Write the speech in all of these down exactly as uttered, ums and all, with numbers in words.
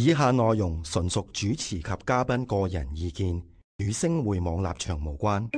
以下內容純屬主持及嘉賓個人意見，與星匯網立場無關。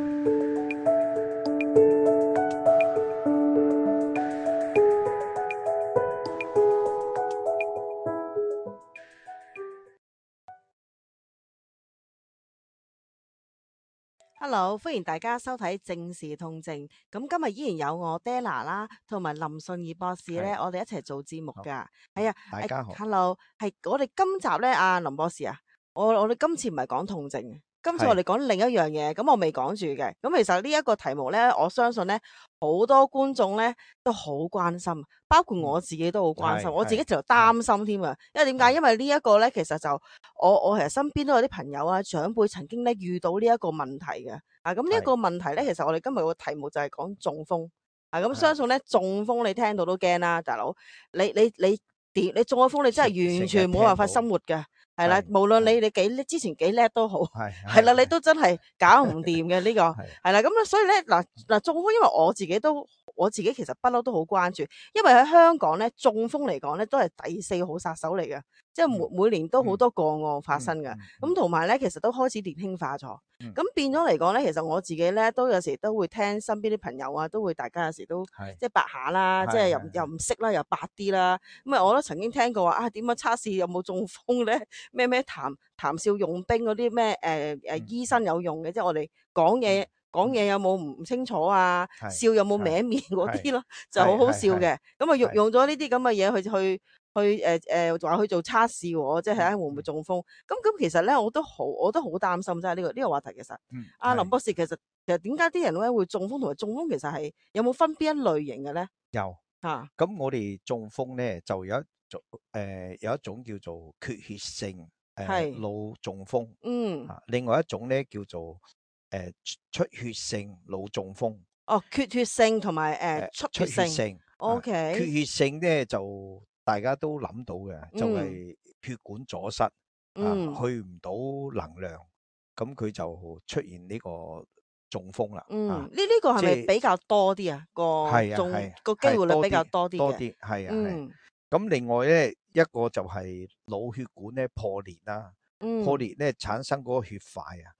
Hello，歡迎大家收睇正視痛症。咁今日依然有我 Della 啦，同埋林信義博士咧，我哋一齊做節目噶。係啊，大家好。Hello，係我哋今集咧，阿林博士啊，我我哋今次唔係講痛症，今次我哋講另一樣嘢。咁我未講住嘅。咁其實呢一個題目咧，我相信咧好多觀眾咧都好關心，包括我自己都好關心。嗯、我自己就擔心添啊。因為點解？因為呢一個咧，其實就我我其實身邊都有啲朋友啊、長輩曾經咧遇到呢一個問題嘅。啊，咁呢一個問題咧，其實我哋今日個題目就係講中風。啊，咁相信咧中風你聽到都驚啦，大佬。你你你點？你中咗風，你真係完全冇辦法生活嘅。係啦，無論你你幾叻，之前幾叻都好，係啦，你都真係搞唔掂嘅呢個。係啦，咁咧，所以咧嗱嗱中風，因為我自己都我自己其實不嬲都好關注，因為喺香港咧中風嚟講咧都係第四號殺手嚟嘅，即係每每年都好多個案發生嘅。咁同埋咧，其實都開始年輕化咗。咁、嗯、變咗嚟講咧，其實我自己咧都有時都會聽身邊啲朋友啊，都會大家有時都即係白下啦，即係又又唔識啦，又白啲啦。咁啊，我都曾經聽過話啊，點樣測試有冇中風咧？咩咩談談笑用兵嗰啲咩誒誒醫生有用嘅，即係我哋講嘢講嘢有冇唔清楚啊？笑有冇歪面嗰啲咯，就好好笑嘅。咁啊用用咗呢啲咁嘅嘢去去去誒誒話去做測試喎，即係睇下會唔會中風。咁咁其實咧我都好我都好擔心，即係呢個呢個話題其實。阿、嗯、林博士其實其實點解啲人咧會中風同埋中風其實係有冇分邊一類型嘅咧？有啊。咁我哋中風咧就有一種誒、呃、有一種叫做缺血性誒腦中風。嗯。啊，另外一種咧叫做誒、呃、出血性腦中風。哦，缺血性同埋誒出血性。O K。啊、缺血性咧就大家都諗到嘅，就係血管阻塞，嗯、啊，去唔到能量，咁佢就出現呢個中風啦。嗯，呢呢個係咪比較多啲啊？個中個機會率比較多啲嘅。多啲係啊係。咁另外咧一個就係腦血管咧破裂啦，嗯、破裂咧產生嗰個血塊啊，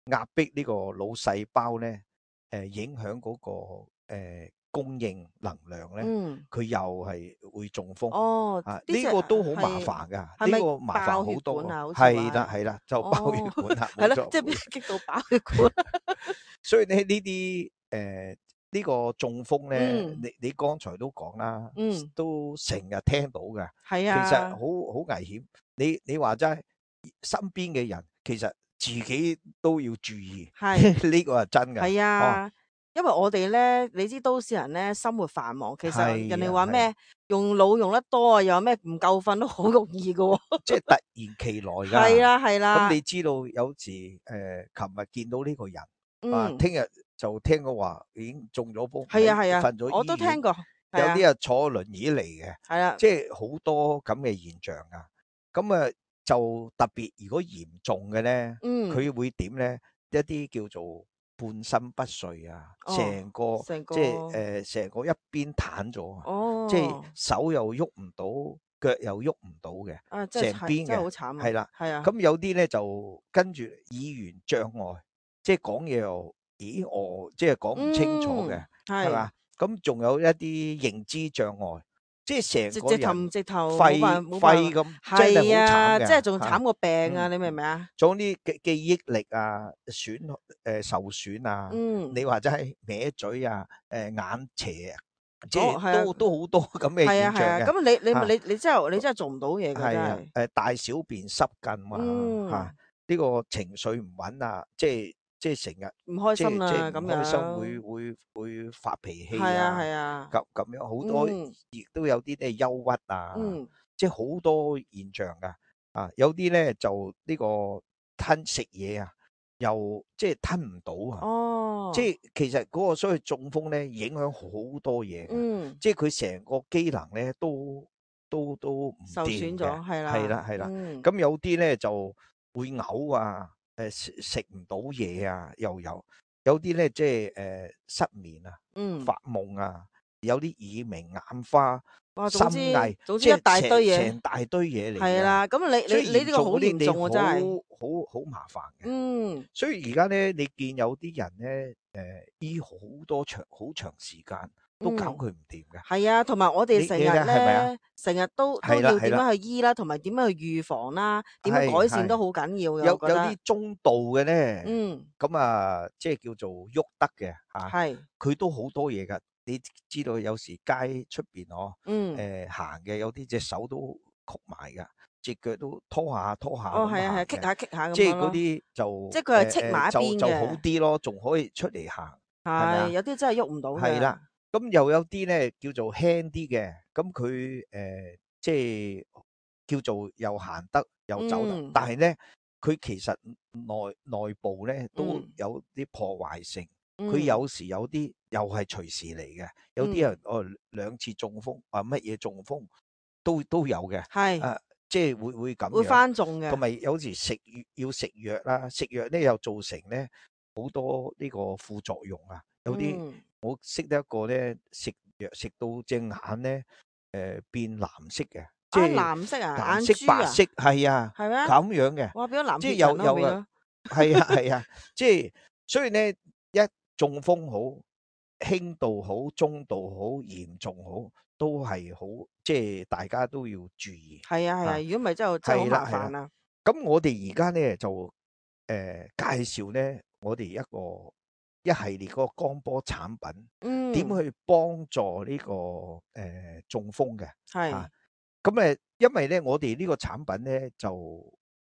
壓迫呢個腦細胞咧，誒、呃、影響嗰、那個誒。呃供應能量咧，佢、嗯、又係會中風。哦，啊，呢、這個都好麻煩噶，呢、這個麻煩好多。係啦係啦，就爆血管啦，係、哦、啦，即係俾人激到爆血管。所以咧呢啲誒呢個中風咧，嗯、你你剛才都講啦，嗯、都成日聽到嘅。係啊，其實好好危險。你你話齋，身邊嘅人其實自己都要注意。係呢個係真嘅。係啊。哦，因為我哋咧，你知都市人咧生活繁忙，其實人哋話咩用腦用得多啊，又有咩唔夠瞓都好容易噶，哦，即係突然其來噶。係啦係啦。咁你知道有時誒，琴、呃、日見到呢個人，嗯、啊，聽日就聽過話已經中咗風，係啊係啊，瞓咗醫院，我都聽過。有啲啊坐輪椅嚟嘅，係啊，即係好多咁嘅現象啊。咁啊就特別如果嚴重嘅咧，佢、嗯、會點咧？一啲叫做半身不遂啊，成、哦、個，個即係誒，成、呃、個一邊癱咗啊，哦、即係手又喐唔到，腳又喐唔到嘅，成邊嘅，好慘，係啦，係啊。咁有啲咧就跟住語言障礙，即係講嘢又咦哦，即係講唔清楚嘅，係嘛、嗯？咁仲有一啲認知障礙。即係成個人直頭肺肺咁，真係好慘嘅，即係仲慘過病啊！你明唔明啊？仲有啲記記憶力啊損誒受損啊，你話真係歪嘴啊，誒眼斜啊，即係都都好多咁嘅現象嘅。咁你你你你真係你真係做唔到嘢嘅，真係。誒大小便失禁啊，吓呢個情緒唔穩啊，即係。即係成日唔開心啊，咁樣唔開心會會會發脾氣啊，係啊係啊，咁咁樣好多，亦都有啲咧憂鬱啊，嗯、即係好多現象噶，啊有啲咧就呢個吞食嘢啊，又即係吞唔到啊，哦，即係其實嗰個所謂中風咧影響好多嘢，嗯，即係佢成個機能咧都都都唔受損咗，係啦，係啦係啦，咁、嗯、有啲咧就會嘔啊。誒食食唔到嘢啊，又有有啲咧即係誒失眠啊，嗯、發夢啊，有啲耳鳴眼花，哇，總之心翳，總之一大堆嘢，成大堆嘢嚟嘅。係啦，咁你你你呢個好嚴重喎，真係好好麻煩嘅。嗯，所以而家咧，你見有啲人咧，誒醫好多長好長時間都搞佢唔掂嘅。係啊，同埋我哋成日咧，成日都都要點樣去醫啦，同埋點樣去預防啦，點樣改善都好緊要嘅。有有啲中度嘅咧，嗯，咁啊，即係叫做喐得嘅嚇，係佢都好多嘢㗎。你知道有時街出邊哦，嗯，誒行嘅有啲隻手都曲埋㗎，隻腳都拖下拖下。哦，係啊係啊，棘下棘下咁樣咯。即係嗰啲就即係佢係戚埋一邊嘅，就好啲咯，仲可以出嚟行。係有啲真係喐唔到嘅。係啦，咁又有啲咧叫做輕啲嘅，咁佢誒即係叫做又行得又走得，嗯、但係咧佢其實內內部咧都有啲破壞性。佢、嗯、有時有啲又係隨時嚟嘅，有啲人、嗯、哦兩次中風啊乜嘢中風都都有嘅，係啊，即係會會咁樣會翻中嘅，同埋有時食要食藥啦，食藥咧又造成咧好多呢個副作用啊，有啲、嗯、我識得一個咧食藥食到隻眼咧誒、呃、變藍色嘅，即係藍色啊，藍色白色係啊，係咩咁樣嘅，哇變咗藍即係有有啊，係啊係啊，即係所以咧一中風好輕度好中度好嚴重好都係好，即係大家都要注意。係啊係啊，如果唔係真係真係好麻煩啊。咁我哋而家咧就誒、呃、介紹咧，我哋一個一系列嗰個光波產品，嗯，點去幫助呢、這個誒、呃、中風嘅係。咁誒、啊，因為咧我哋呢個產品咧就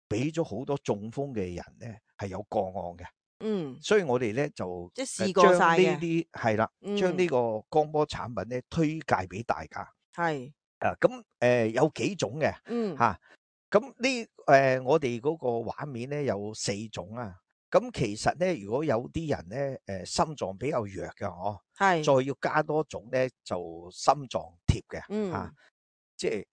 俾咗好多中風嘅人咧係有個案嘅。嗯，所以我哋咧就即係試過晒嘅，將呢啲係啦，將呢個光波產品咧推介俾大家。係啊，咁誒、呃、有幾種嘅，嗯吓，咁呢誒我哋嗰個畫面咧有四種啊。咁其實咧，如果有啲人咧誒、呃、心臟比較弱嘅，哦，係再要加多種咧就心臟貼嘅，嗯吓、啊，即係。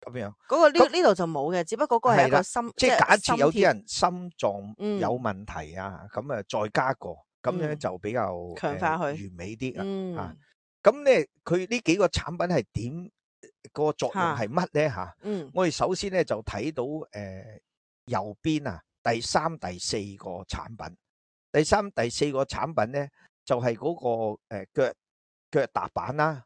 咁樣，嗰個呢呢度就冇嘅，只不過嗰個係一個心，即係假設有啲人心臟有問題啊，咁啊再加個，咁樣就比較強化佢完美啲啊。咁咧，佢呢幾個產品係點個作用係乜咧吓？嗯，我哋首先咧就睇到誒右邊啊，第三、第四個產品，第三、第四個產品咧就係嗰個誒腳腳踏板啦，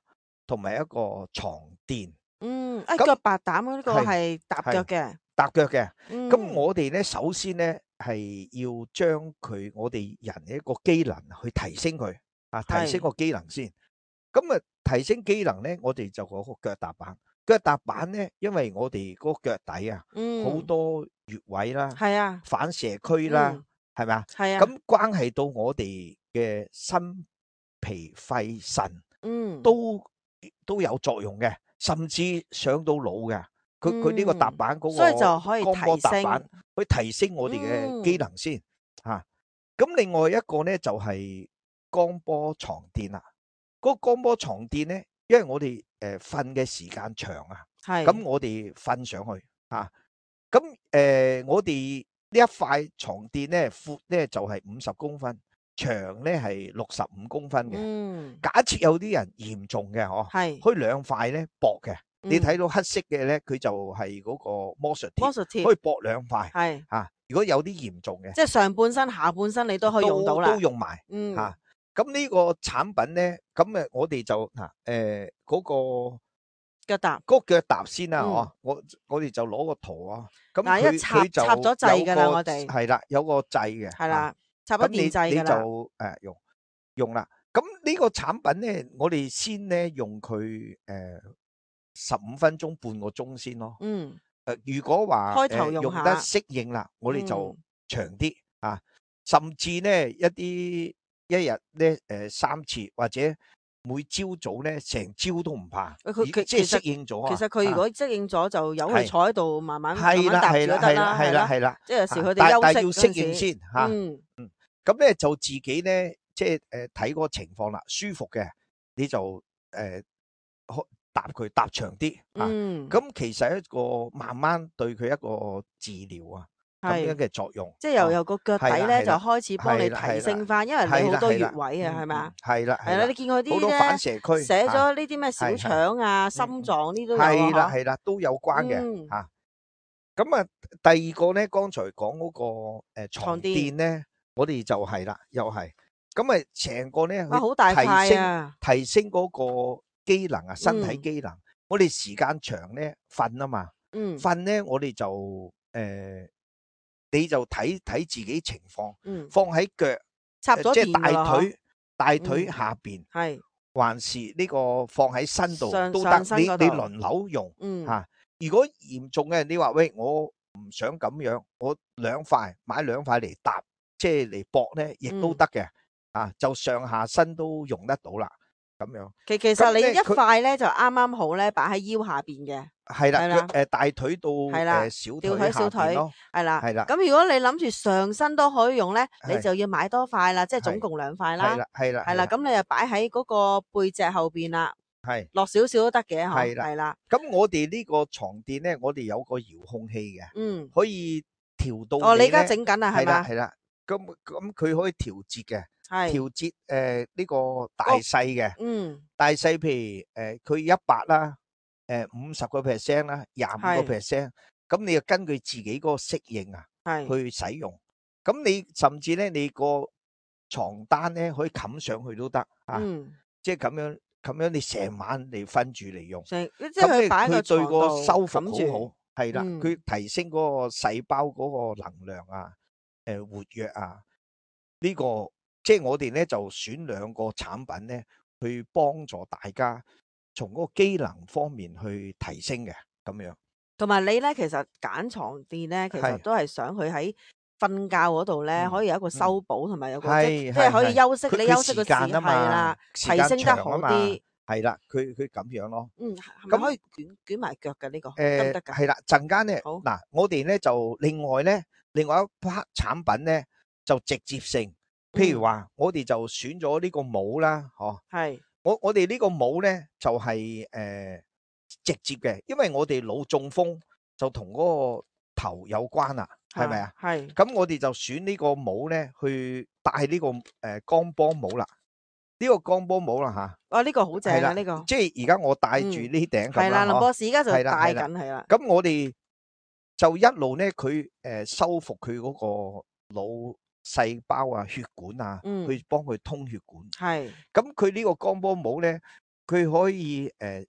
同埋一個床墊。嗯，誒，腳白膽呢個係踏腳嘅，踏腳嘅。咁我哋咧，首先咧係要將佢我哋人嘅一個機能去提升佢，啊，提升個機能先。咁啊，提升機能咧，我哋就嗰個腳踏板。腳踏板咧，因為我哋嗰個腳底啊，好多穴位啦，係啊，反射區啦，係咪啊？係啊。咁關係到我哋嘅心脾肺腎，嗯，都都有作用嘅。甚至上到腦嘅，佢佢呢個踏板嗰個，所以就可以光波踏板，提升，去提升我哋嘅機能先吓。咁、嗯啊、另外一個咧就係、是、光波床墊啦。嗰、那個光波床墊咧，因為我哋誒瞓嘅時間長啊，咁我哋瞓上去啊，咁誒、呃、我哋呢一塊床墊咧闊咧就係五十公分。長咧係六十五公分嘅、嗯，假設有啲人嚴重嘅，嗬，係，可以兩塊咧薄嘅、嗯，你睇到黑色嘅咧，佢就係嗰個魔術貼，魔術貼可以薄兩塊，係嚇、啊。如果有啲嚴重嘅，即係上半身、下半身你都可以用到啦，都，都用埋，嗯嚇。咁、啊、呢個產品咧，咁誒我哋就嗱誒嗰個腳踏，嗰、嗰個腳踏先啦，嗬、嗯。我我哋就攞個圖啊，咁佢佢就插咗掣㗎啦，我哋係啦，有個掣嘅，係啦。插咗電掣㗎啦，你就誒用用啦。咁呢個產品咧，我哋先咧用佢誒十五分鐘半個鐘先咯。嗯。誒、呃，如果話開頭用，用得適應啦，我哋就長啲、嗯、啊。甚至咧一啲一日咧誒三次，或者每朝早咧成朝都唔怕。佢即係適應咗。其實佢如果適應咗，就由佢坐喺度慢慢慢慢搭住都得係啦，係啦，係啦。即係有時佢哋休息但係要適應先嚇。嗯。嗯。咁咧就自己咧，即係誒睇個情況啦，舒服嘅你就誒搭佢搭長啲啊。咁其實一個慢慢對佢一個治療啊，咁樣嘅作用。即係由由個腳底咧就開始幫你提升翻，因為你好多穴位啊，係咪啊？係啦，係啦，你見佢啲好多反射區寫咗呢啲咩小腸啊、心臟呢都有啊。係啦係啦，都有關嘅嚇。咁啊，第二個咧，剛才講嗰個誒牀墊咧，我哋就係啦，又係咁啊，成個咧去提升提升嗰個機能啊，身體機能。我哋時間長咧瞓啊嘛，瞓咧我哋就誒。你就睇睇自己情況，嗯、放喺腳，插咗即係大腿，大腿下邊，係、嗯、還是呢個放喺身度都得。你你輪流用，吓、嗯啊。如果嚴重嘅，你話喂，我唔想咁樣，我兩塊買兩塊嚟搭，即係嚟駁咧，亦都得嘅，嗯、啊，就上下身都用得到啦。咁樣，其其實你一塊咧就啱啱好咧，擺喺腰下邊嘅。係啦，誒大腿到誒小腿下邊咯，係啦，係啦。咁如果你諗住上身都可以用咧，你就要買多塊啦，即係總共兩塊啦。係啦，係啦，係啦，咁你就擺喺嗰個背脊後邊啦。係落少少都得嘅，係啦，係啦。咁我哋呢個床墊咧，我哋有個遙控器嘅，嗯，可以調到。哦，你而家整緊啊，係嘛？係啦，咁咁佢可以調節嘅。調節誒呢個大細嘅，嗯，大細譬如誒佢一百啦，誒五十個 percent 啦，廿五個 percent，咁你就根據自己嗰個適應啊，係去使用。咁你甚至咧，你個床單咧可以冚上去都得啊，即係咁樣咁樣，你成晚你瞓住嚟用，咁你佢對個修復好好，係啦，佢提升嗰個細胞嗰個能量啊，誒活躍啊，呢個。即係我哋咧就選兩個產品咧，去幫助大家從嗰個機能方面去提升嘅咁樣。同埋你咧，其實揀床墊咧，其實都係想佢喺瞓覺嗰度咧，可以有一個修補，同埋有個即係可以休息。你休息嘅時間係啦，提升得好啲。係啦，佢佢咁樣咯。嗯，係咪可以捲捲埋腳嘅呢個？誒，得㗎。係啦，陣間咧，嗱，我哋咧就另外咧，另外一 part 產品咧就直接性。譬如話，我哋就選咗呢個帽啦，嗬。係。我我哋呢個帽咧就係誒直接嘅，因為我哋腦中風就同嗰個頭有關啦，係咪啊？係。咁我哋就選呢個帽咧去戴呢個誒光波帽啦。呢個光波帽啦吓。哦，呢個好正啊！呢個。即係而家我戴住呢頂咁啦。係啦，林博士而家就戴緊係啦。咁我哋就一路咧，佢誒修復佢嗰個腦細胞啊、血管啊，嗯、去幫佢通血管。係，咁佢呢個光波帽咧，佢可以誒、呃、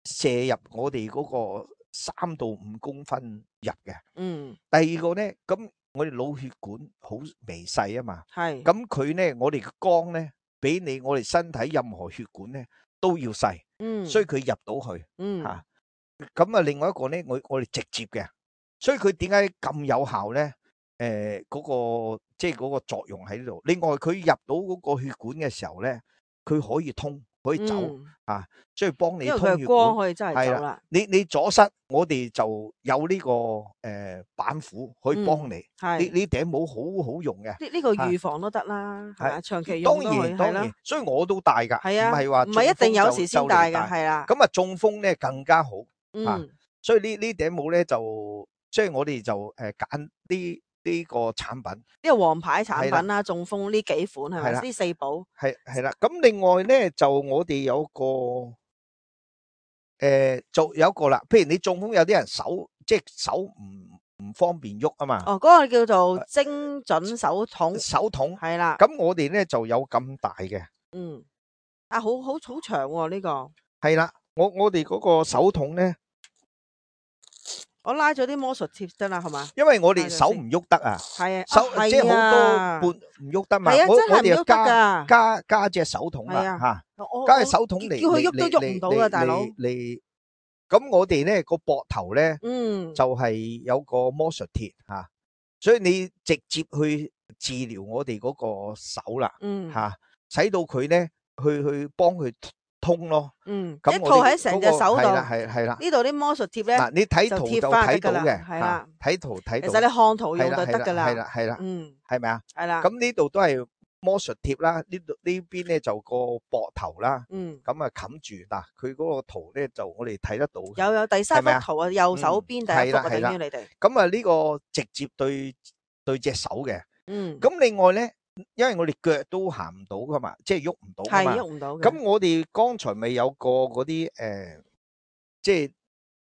射入我哋嗰個三到五公分入嘅。嗯。第二個咧，咁我哋腦血管好微細啊嘛。係。咁佢咧，我哋嘅光咧，比你我哋身體任何血管咧都要細。嗯。所以佢入到去。嗯。嚇。咁啊，另外一個咧，我我哋直接嘅，所以佢點解咁有效咧？誒，嗰、呃那個即係嗰個作用喺呢度。另外，佢入到嗰個血管嘅時候咧，佢可以通，可以走、嗯、啊，所以幫你通血管。因為佢光可以真係走啦。你你阻塞，我哋就有呢、這個誒、呃、板斧可以幫你。係、嗯。呢呢頂帽好好用嘅。呢、這、呢個預防都得啦，係嘛？長期用都可以。當然當然，所以我都戴噶。係啊。唔係話唔係一定有時先戴噶，係啦。咁啊，中風咧更加好。嗯。啊、所以呢呢頂帽咧就，所以我哋就誒揀啲。呃呢個產品，呢個王牌產品啦，中風呢幾款係咪？呢四寶係係啦。咁另外咧，就我哋有個誒，就有一個啦。譬如你中風，有啲人手即係手唔唔方便喐啊嘛。哦，嗰個叫做精準手筒。手筒係啦。咁我哋咧就有咁大嘅。嗯。啊，好好好長喎呢個。係啦，我我哋嗰個手筒咧。我拉咗啲魔術貼得啦，係嘛？因為我哋手唔喐得啊，係啊，手即係好多半唔喐得嘛。係啊，真係唔喐得噶。加加隻手筒啦，吓，加隻手筒嚟，叫佢喐都喐唔到啊，大佬。嚟，咁我哋咧個膊頭咧，嗯，就係有個魔術貼吓，所以你直接去治療我哋嗰個手啦，嗯，吓，使到佢咧去去幫佢。通咯，嗯，一套喺成隻手度，係係啦，呢度啲魔術貼咧，嗱你睇圖就睇到嘅，係啦，睇圖睇到，其實你看圖用就得噶啦，係啦係啦，嗯，係咪啊？係啦，咁呢度都係魔術貼啦，呢度呢邊咧就個膊頭啦，嗯，咁啊冚住嗱，佢嗰個圖咧就我哋睇得到。有有第三幅圖啊，右手邊第一幅啊，等於你哋。咁啊呢個直接對對隻手嘅，嗯。咁另外咧，因為我哋腳都行唔到噶嘛，即係喐唔到噶嘛，係喐唔到嘅。咁我哋剛才咪有個嗰啲誒，即係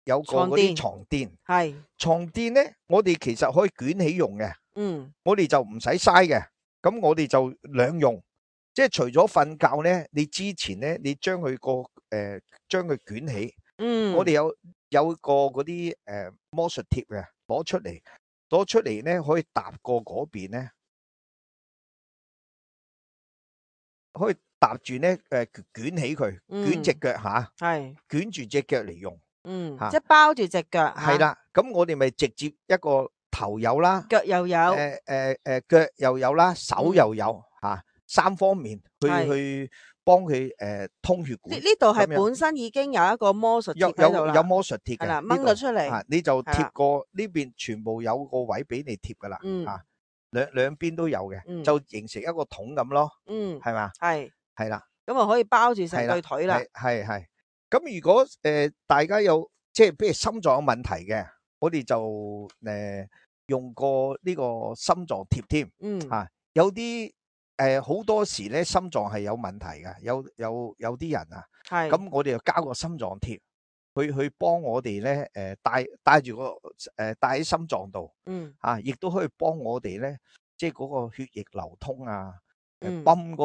有個嗰啲床墊，係床墊咧，我哋其實可以捲起用嘅。嗯，我哋就唔使嘥嘅，咁我哋就兩用，即係除咗瞓覺咧，你之前咧，你將佢個誒將佢捲起，嗯，我哋有有個嗰啲誒魔術貼嘅，攞出嚟，攞出嚟咧可以搭過嗰邊咧，可以搭住咧誒捲起佢，捲隻腳吓，係捲住隻腳嚟用，嗯，即係包住隻腳，係啦，咁我哋咪直接一個。頭有啦，腳又有，誒誒誒，腳又有啦，手又有吓，三方面去去幫佢誒通血管。呢呢度係本身已經有一個魔術貼喺度啦，有有魔術貼嘅，係啦，掹咗出嚟，你就貼過呢邊，全部有個位俾你貼噶啦，啊，兩兩邊都有嘅，就形成一個桶咁咯，嗯，係嘛，係係啦，咁啊可以包住成對腿啦，係係，咁如果誒大家有即係譬如心臟有問題嘅。我哋就誒、呃、用過呢個心臟貼添，嗯啊，有啲誒好多時咧心臟係有問題嘅，有有有啲人啊，係，咁我哋就交個心臟貼，去去幫我哋咧誒帶帶住個誒帶喺心臟度，嗯啊，亦都可以幫我哋咧，即係嗰個血液流通啊，誒泵嗰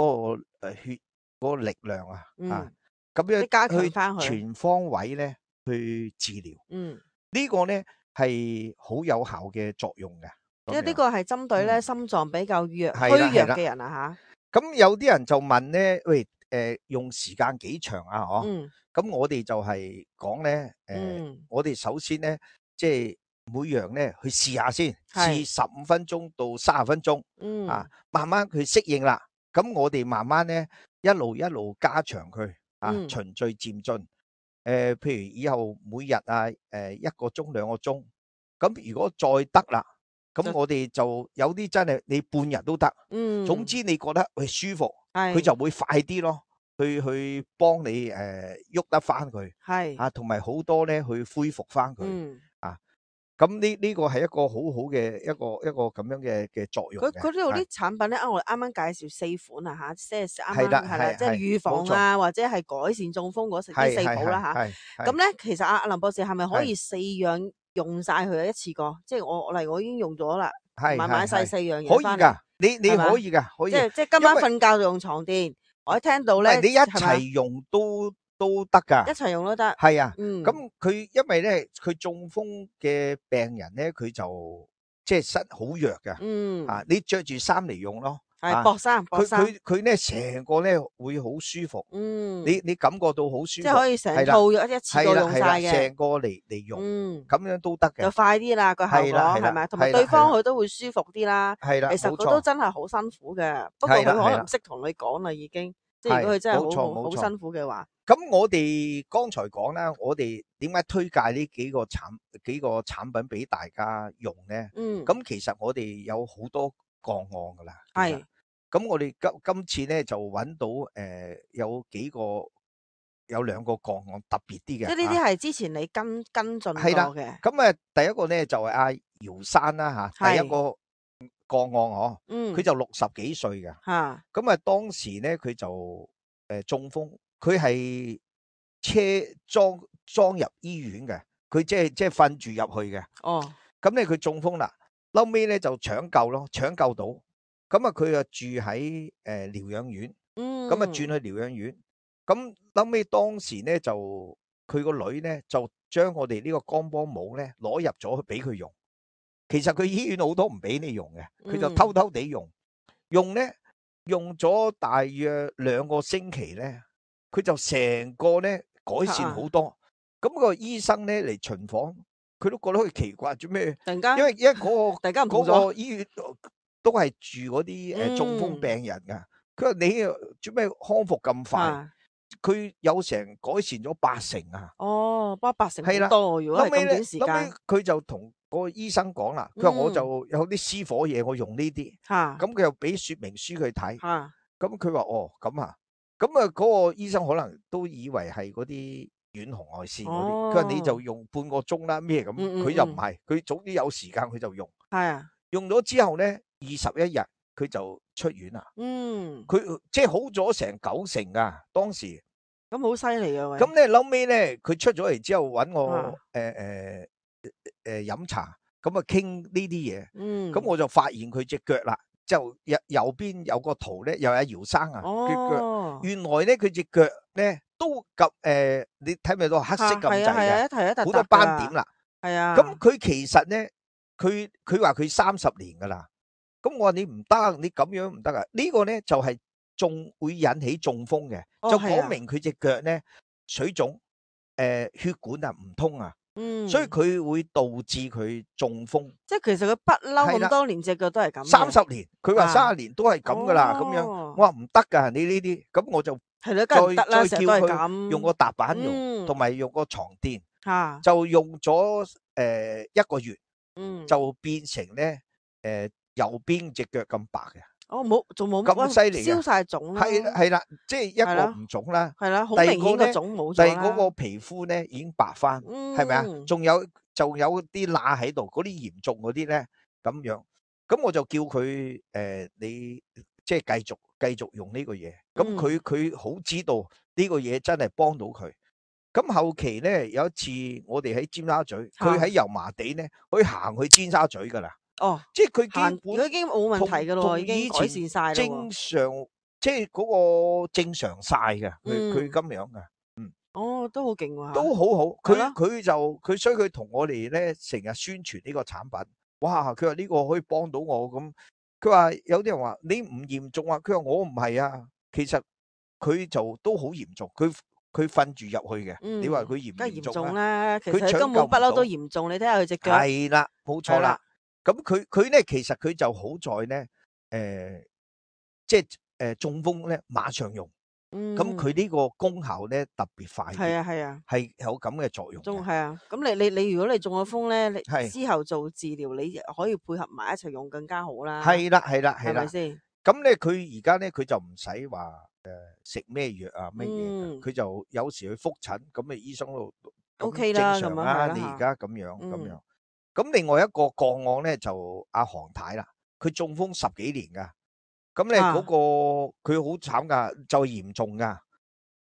個誒血嗰個力量啊，嗯、啊，咁樣加強翻佢全方位咧去治療，嗯，這個、呢個咧。係好有效嘅作用嘅，因為呢個係針對咧心臟比較弱虛弱嘅人啊吓。咁有啲人就問咧，喂，誒用時間幾長啊？嗬，咁我哋就係講咧，誒，我哋首先咧，即係每樣咧去試下先，試十五分鐘到三十分鐘，啊，慢慢佢適應啦。咁我哋慢慢咧一路一路加長佢，啊，循序漸進。誒、呃，譬如以後每日啊，誒、呃、一個鐘兩個鐘，咁如果再得啦，咁我哋就有啲真係你半日都得，嗯，總之你覺得佢舒服，佢就會快啲咯，去去幫你誒喐、呃、得翻佢，係啊，同埋好多咧去恢復翻佢，嗯啊。咁呢呢個係一個好好嘅一個一個咁樣嘅嘅作用。佢佢呢度啲產品咧，我哋啱啱介紹四款啊吓，即係啱啱係啦，即係預防啊，或者係改善中風嗰啲四寶啦吓。咁咧，其實阿阿林博士係咪可以四樣用晒佢一次過？即係我我嚟，我已經用咗啦，買買晒四樣嘢翻嚟。可以噶，你你可以噶，可以。即係即係今晚瞓覺就用床墊，我一聽到咧，你一齊用都。都得噶，一齊用都得。係啊，咁佢因為咧，佢中風嘅病人咧，佢就即係身好弱噶。嗯，啊，你着住衫嚟用咯，係薄衫，薄衫。佢佢佢咧成個咧會好舒服。嗯，你你感覺到好舒服，即係可以成套一次過用晒嘅，成個嚟嚟用。嗯，咁樣都得嘅，就快啲啦個效果係咪？同埋對方佢都會舒服啲啦。係啦，其實佢都真係好辛苦嘅，不過佢可能唔識同你講啦，已經。即係如果佢真係好好好辛苦嘅話。咁我哋剛才講啦，我哋點解推介呢幾個產幾個產品俾大家用咧？嗯，咁其實我哋有好多個案噶啦，係。咁我哋今今次咧就揾到誒、呃、有幾個有兩個個案特別啲嘅，即係呢啲係之前你跟跟進過嘅。咁啊，第一個咧就係阿姚生啦吓，第一個個案嗬，嗯，佢就六十幾歲嘅，吓。咁啊，當時咧佢就誒、呃、中風。佢係車裝裝入醫院嘅，佢即係即係瞓住入去嘅。哦，咁咧佢中風啦，後尾咧就搶救咯，搶救到，咁啊佢啊住喺誒療養院，嗯，咁啊轉去療養院，咁後尾當時咧就佢個女咧就將我哋呢個光波帽咧攞入咗去俾佢用，其實佢醫院好多唔俾你用嘅，佢就偷偷地用，用咧用咗大約兩個星期咧。佢就成個咧改善好多，咁、啊、個醫生咧嚟巡訪，佢都覺得佢奇怪，做咩？突然間，因為因為嗰、那個突然間嗰個醫院都係住嗰啲誒中風病人噶，佢、嗯、話你做咩康復咁快？佢、啊、有成改善咗八成啊！哦，八八成好多，如果係咁短時間，佢就同嗰個醫生講啦，佢話我就有啲私伙嘢，我用呢啲。嚇。咁佢又俾說明書佢睇。嚇。咁佢話哦咁啊，咁啊嗰個醫生可能都以為係嗰啲遠紅外線嗰啲，佢話你就用半個鐘啦咩咁，佢又唔係，佢總之有時間佢就用。係啊。用咗之後咧，二十一日佢就出院啦。嗯。佢即係好咗成九成噶，當時。咁好犀利啊！喂。咁咧，後尾咧，佢出咗嚟之後揾我誒誒誒飲茶，咁啊傾呢啲嘢。嗯。咁我就發現佢隻腳啦，就右右邊有個圖咧，又有姚生啊，隻腳。哦。原來咧佢隻腳咧都咁誒，你睇咪到黑色咁滯嘅，係啊係啊，一睇一笪笪㗎。好多斑點啦。係啊。咁佢其實咧，佢佢話佢三十年噶啦。咁我話你唔得，你咁樣唔得啊！呢個咧就係中會引起中風嘅，就講明佢隻腳咧水腫，誒血管啊唔通啊，嗯，所以佢會導致佢中風。即係其實佢不嬲咁多年隻腳都係咁。三十年，佢話三十年都係咁噶啦，咁樣我話唔得噶，你呢啲，咁我就係咯，梗係唔得啦，再叫佢用個踏板用，同埋用個床墊，嚇，就用咗誒一個月，嗯，就變成咧誒。右邊隻腳咁白嘅，哦冇，仲冇咁犀利嘅，消晒腫啦，係係啦，即係一個唔腫啦，係啦，好明顯個腫冇咗啦，第二嗰個皮膚咧已經白翻，係咪啊？仲有仲有啲罅喺度，嗰啲嚴重嗰啲咧咁樣，咁我就叫佢誒，你即係繼續繼續用呢個嘢，咁佢佢好知道呢個嘢真係幫到佢。咁後期咧有一次我哋喺尖沙咀，佢喺油麻地咧可以行去尖沙咀噶啦。哦，即係佢基本佢已經冇問題噶咯，已經改善晒啦，正常即係嗰個正常晒嘅，佢佢咁樣噶，嗯，哦，都好勁喎，都好好，佢佢就佢所以佢同我哋咧成日宣傳呢個產品，哇，佢話呢個可以幫到我咁，佢話有啲人話你唔嚴重啊，佢話我唔係啊，其實佢就都好嚴重，佢佢瞓住入去嘅，你話佢嚴唔嚴重咧？其實佢根本不嬲都嚴重，你睇下佢隻腳，係啦，冇錯啦。咁佢佢咧，其實佢就好在咧，誒、呃，即係誒、呃、中風咧，馬上用。咁佢呢個功效咧特別快。係啊係啊，係有咁嘅作用。中係啊，咁你你你如果你中咗風咧，你之後做治療，你可以配合埋一齊用更加好啦。係啦係啦係啦，係咪先？咁咧佢而家咧佢就唔使話誒食咩藥啊乜嘢，佢、嗯、就有時去覆診，咁啊醫生都 OK 啦，正常啦。你而家咁樣咁樣。嗯咁另外一個個案咧就阿韓太啦，佢中風十幾年噶，咁咧嗰個佢好慘噶，就嚴重噶，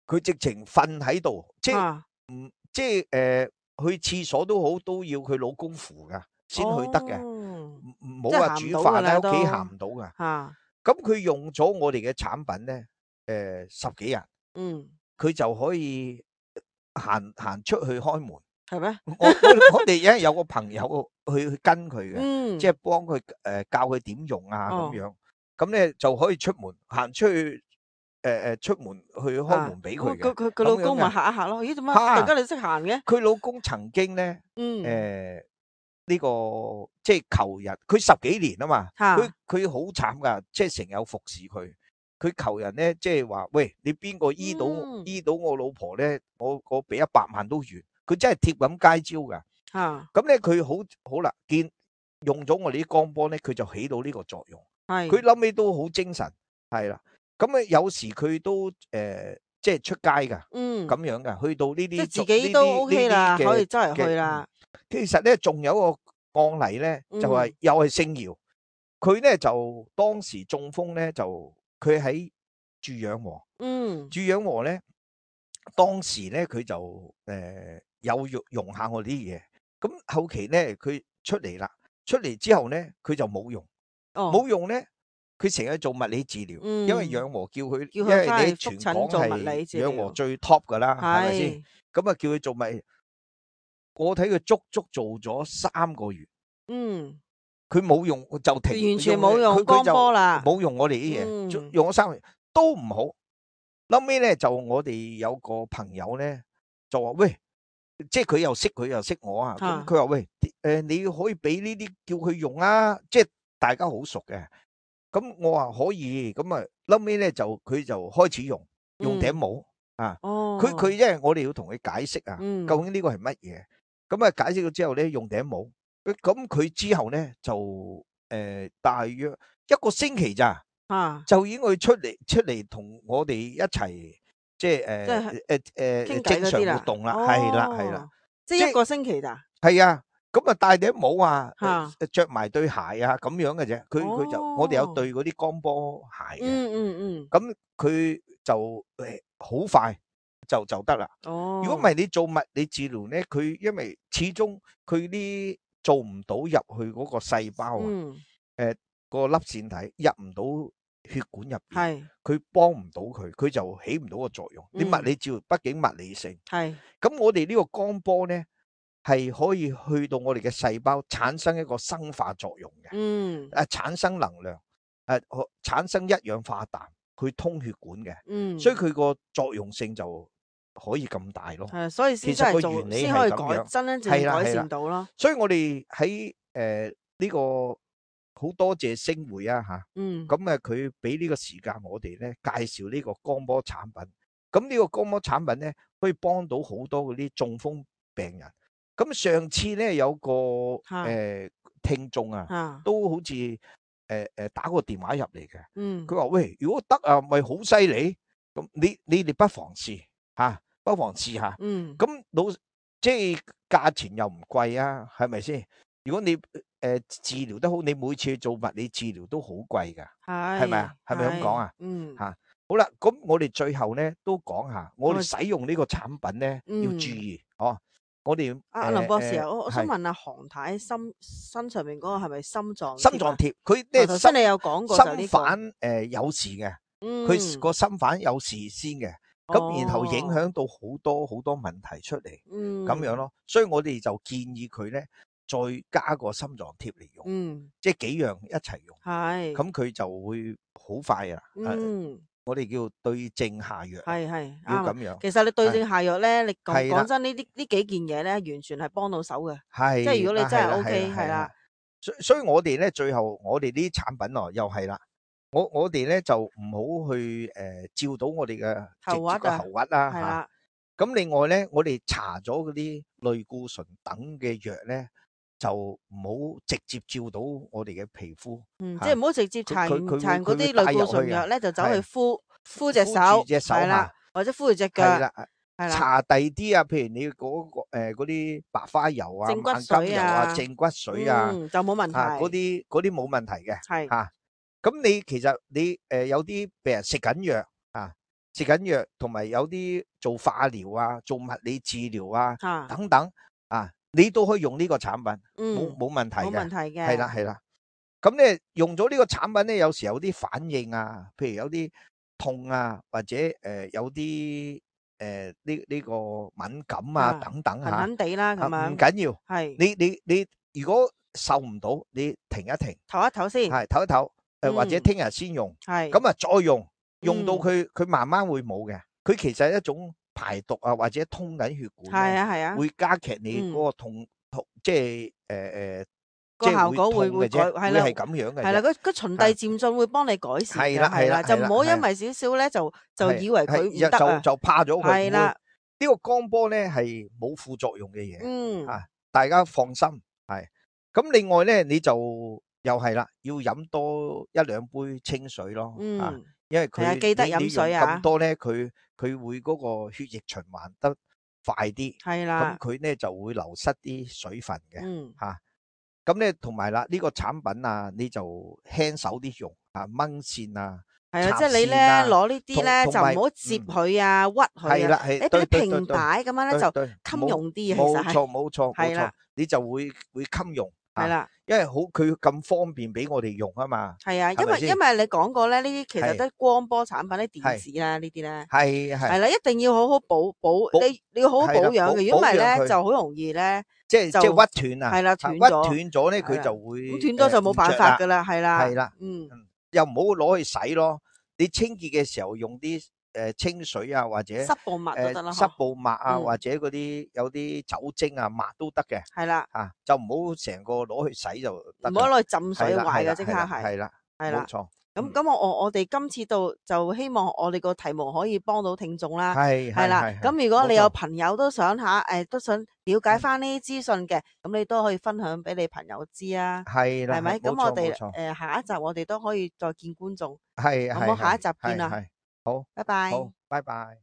佢直情瞓喺度，即係唔即係誒去廁所都好，都要佢老公扶噶先去得嘅，唔唔好話煮飯喺屋企行唔到噶。咁佢用咗我哋嘅產品咧，誒十幾日，嗯，佢就可以行行出去開門。係咩？我我我哋因為有個朋友去去跟佢嘅，嗯、即係幫佢誒教佢點用啊咁、哦、樣，咁咧就可以出門行出去，誒、呃、誒出門去開門俾佢嘅。佢佢佢老公咪嚇一嚇咯？咦，點解突然間你識行嘅？佢老公曾經咧，誒呢、嗯呃這個即係求人，佢十幾年啊嘛，佢佢好慘噶，即係成日有服侍佢。佢求人咧，即係話喂，你邊個醫到、嗯、醫到我老婆咧？我我俾一百萬都願。佢真係貼咁街招噶，咁咧佢好好啦，見用咗我哋啲光波咧，佢就起到呢個作用。係，佢諗尾都好精神，係啦。咁啊，有時佢都誒、呃，即係出街噶，嗯，咁樣噶，去到呢啲即係自己都 OK 啦，可以周圍去啦。其實咧，仲有一個案例咧，就係、是嗯、又係姓姚，佢咧就當時中風咧，就佢喺住養和，嗯，住養和咧，當時咧佢就誒。呃有用用下我啲嘢，咁後期咧佢出嚟啦，出嚟之後咧佢就冇用，冇、哦、用咧，佢成日做物理治療、嗯，因為養和叫佢，因為你全港係養和最 top 噶啦，係咪先？咁啊叫佢做物，我睇佢足足做咗三個月，嗯，佢冇用就停，完全冇用光波啦，冇用我哋啲嘢，用咗三個月都唔好。後尾咧就我哋有個朋友咧就話喂。即係佢又識佢又識我啊！咁佢話喂，誒、呃，你可以俾呢啲叫佢用啊！即係大家好熟嘅。咁我話可以，咁啊，後尾咧就佢就開始用用頂帽、嗯、啊。哦。佢佢因為我哋要同佢解釋啊、嗯，究竟呢個係乜嘢？咁啊解釋咗之後咧，用頂帽，咁佢之後咧就誒、呃、大約一個星期咋，啊，就已經佢出嚟出嚟同我哋一齊即係誒誒誒正常活動啦，係啦係啦，即係一個星期咋？係啊，咁啊戴頂帽啊，嚇，着埋對鞋啊咁樣嘅啫。佢佢就我哋有對嗰啲鋼波鞋嘅，嗯嗯嗯，咁佢就誒好快就就得啦。哦，如果唔係你做物理治療咧，佢因為始終佢啲做唔到入去嗰個細胞啊，誒個粒線體入唔到血管入邊，係佢幫唔到佢，佢就起唔到個作用。你物理治療畢竟物理性，係咁我哋呢個鋼波咧係可以去到我哋嘅細胞產生一個生化作用嘅，嗯，誒產生能量，誒產生一氧化氮去通血管嘅，嗯，所以佢個作用性就可以咁大咯。係，所以先其實個做原理先可以改係咁樣，真真正係啦改係啦。善到咯。所以我哋喺誒呢個好多謝星匯啊嚇，嗯，咁啊佢俾呢個時間我哋咧介紹呢個光波產品。咁呢個光波產品咧可以幫到好多嗰啲中風病人。咁上次咧有個誒聽眾啊，都好似誒誒打個電話入嚟嘅。嗯，佢話喂，如果得啊，咪好犀利。咁你你哋不妨試嚇，不妨試下。嗯，咁老即係價錢又唔貴啊，係咪先？如果你誒治療得好，你每次做物理治療都好貴㗎，係咪啊？係咪咁講啊？嗯，嚇好啦，咁我哋最後咧都講下，我哋使用呢個產品咧要注意哦。我哋阿林博士啊，我我想問下韓太心身上面嗰個係咪心臟心臟貼？佢咧頭先你有講過就呢個心瓣誒有事嘅，佢個心瓣有事先嘅，咁然後影響到好多好多問題出嚟，咁樣咯。所以我哋就建議佢咧再加個心臟貼嚟用，即係幾樣一齊用，咁佢就會好快啊。我哋叫對症下藥，係係要咁樣。其實你對症下藥咧，你講講真呢啲呢幾件嘢咧，完全係幫到手嘅。係，即係如果你真係 O K，係啦。所所以我哋咧最後我哋呢啲產品哦，又係啦。我我哋咧就唔好去誒照到我哋嘅直接個喉核啦嚇。咁另外咧，我哋搽咗嗰啲類固醇等嘅藥咧，就唔好直接照到我哋嘅皮膚。嗯，即係唔好直接搽搽嗰啲類固醇藥咧，就走去敷敷隻手，係啦，或者敷住隻腳。係啦，係啦。搽第啲啊，譬如你嗰個誒嗰啲白花油啊、萬金油啊、正骨水啊，就冇問題。嗰啲嗰啲冇問題嘅。係嚇。咁你其實你誒有啲病人食緊藥啊，食緊藥，同埋有啲做化療啊、做物理治療啊等等啊，你都可以用呢個產品，冇冇問題嘅。冇問題嘅。係啦係啦。咁咧用咗呢個產品咧，有時有啲反應啊，譬如有啲痛啊，或者誒有啲誒呢呢個敏感啊等等嚇。痕痕地啦咁樣。唔緊要。係。你你你如果受唔到，你停一停。唞一唞先。係唞一唞。誒或者聽日先用，咁啊再用，用到佢佢慢慢會冇嘅。佢其實係一種排毒啊，或者通緊血管，係啊係啊，會加劇你嗰個痛痛，即係誒誒，個效果會會改，係啦，係咁樣嘅。係啦，佢佢循遞漸進會幫你改善嘅，係啦係啦，就唔好因為少少咧就就以為佢唔得啊，就就怕咗佢。係啦，呢個光波咧係冇副作用嘅嘢，嗯啊，大家放心係。咁另外咧你就。又係啦，要飲多一兩杯清水咯，嗯、啊，因為佢記得飲水啊，咁多咧，佢佢會嗰個血液循環得快啲，係啦，咁佢咧就會流失啲水分嘅，嗯，吓，咁咧同埋啦，呢個產品啊，你就輕手啲用，啊，掹線啊，係啊，即係你咧攞呢啲咧就唔好接佢啊，屈佢啊，係啦，係，你俾啲平擺咁樣咧就襟用啲，冇錯冇錯冇錯，你就會會襟用。係啦，因為好佢咁方便俾我哋用啊嘛。係啊，因為因為你講過咧，呢啲其實都係光波產品，啲電子啦，呢啲咧係係係啦，一定要好好保保，你你要好好保養嘅，如果唔係咧就好容易咧，即係即係屈斷啊，係啦，斷咗，屈斷咗咧佢就會咁斷咗就冇辦法噶啦，係啦，係啦，嗯，又唔好攞去洗咯，你清潔嘅時候用啲。誒清水啊，或者濕布抹都得啦，濕布抹啊，或者嗰啲有啲酒精啊抹都得嘅。係啦，嚇就唔好成個攞去洗就得。唔好攞去浸水壞嘅，即刻係。係啦，係啦，冇錯。咁咁我我我哋今次到就希望我哋個題目可以幫到聽眾啦，係係啦。係係咁如果你有朋友都想下誒都想了解翻呢啲資訊嘅，咁你都可以分享俾你朋友知啊。係啦，係咪？冇錯咁我哋冇錯誒下一集我哋都可以再見觀眾，係係好冇？下一集係見啦，係好，拜拜。好，拜拜。